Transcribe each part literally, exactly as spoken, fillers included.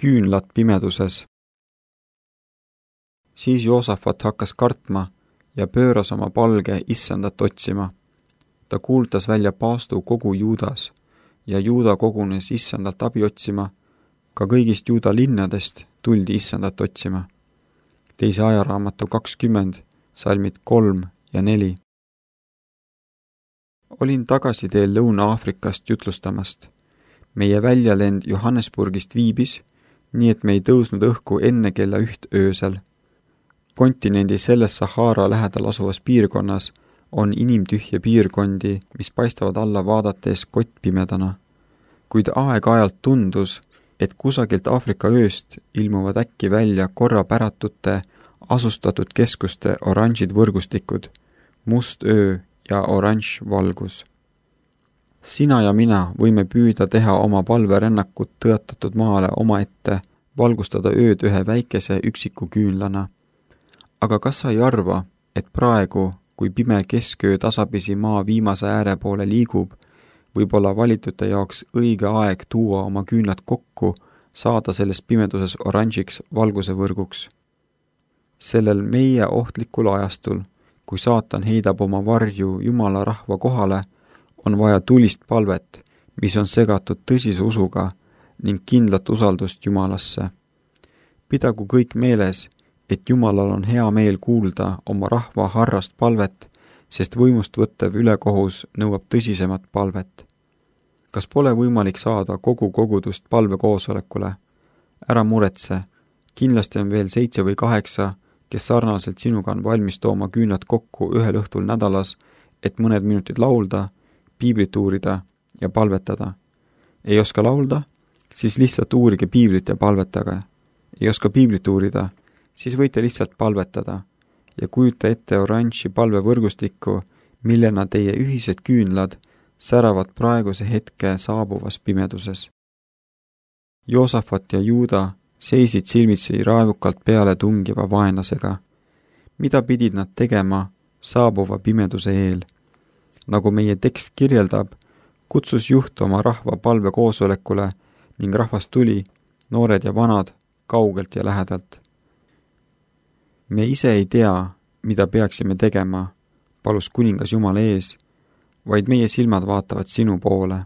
Küünlad pimeduses. Siis Joosafat hakkas kartma ja pööras oma palge issandat otsima. Ta kuultas välja paastu kogu Juudas ja Juuda kogunes issandalt abi otsima. Ka kõigist Juuda linnadest tuldi issandat otsima. Teise ajaraamatu kakskümmend, salmid kolm ja neli. Olin tagasi teel Lõuna-Aafrikast jutlustamast. Meie väljalend Johannesburgist viibis, nii et me ei tõusnud õhku enne kella üht öösel. Kontinendi selles Sahara lähedal asuvas piirkonnas on inimtühje piirkondi, mis paistavad alla vaadates kottpimedana. Kuid aeg-ajalt tundus, et kusagilt Aafrika ööst ilmuvad äkki välja korrapäratute asustatud keskuste oranžid võrgustikud, must öö ja oranž valgus. Sina ja mina võime püüda teha oma palverännakut tõotatud maale omaette, valgustada ööd ühe väikese üksiku küünlana. Aga kas sa ei arva, et praegu, kui pime kesköö tasapisi maa viimase ääre poole liigub, võib olla valitute jaoks õige aeg tuua oma küünlad kokku, saada selles pimeduses oranžiks valguse võrguks. Sellel meie ohtlikul ajastul, kui saatan heidab oma varju Jumala rahva kohale, on vaja tulist palvet, mis on segatud tõsise usuga ning kindlat usaldust Jumalasse. Pidagu kõik meeles, et Jumalal on hea meel kuulda oma rahva harrast palvet, sest võimust võttev ülekohus nõuab tõsisemat palvet. Kas pole võimalik saada kogu kogudust palvekoosolekule? Ära muretse, kindlasti on veel seitse või kaheksa, kes sarnaselt sinuga on valmis tooma küünlad kokku ühel õhtul nädalas, et mõned minutid laulda, piiblit uurida ja palvetada. Ei oska laulda? Siis lihtsalt uurige piiblit ja palvetage. Ei oska piiblit uurida? Siis võite lihtsalt palvetada ja kujuta ette oranži palvevõrgustikku, millena teie ühised küünlad säravad praeguse hetke saabuvas pimeduses. Joosafat ja Juuda seisid silmitsi raevukalt peale tungiva vaenlasega. Mida pidid nad tegema saabuva pimeduse eel? Nagu meie tekst kirjeldab, kutsus juht oma rahva palvekoosolekule ning rahvas tuli, noored ja vanad, kaugelt ja lähedalt. Me ise ei tea, mida peaksime tegema, palus kuningas Jumala ees, vaid meie silmad vaatavad sinu poole.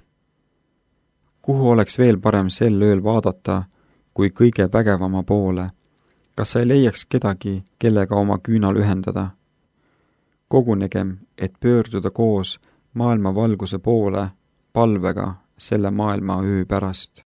Kuhu oleks veel parem sel ööl vaadata, kui kõige vägevama poole? Kas sa ei leiaks kedagi, kellega oma küünal ühendada? Kogunegem, et pöörduda koos maailma valguse poole palvega selle maailma öö pärast.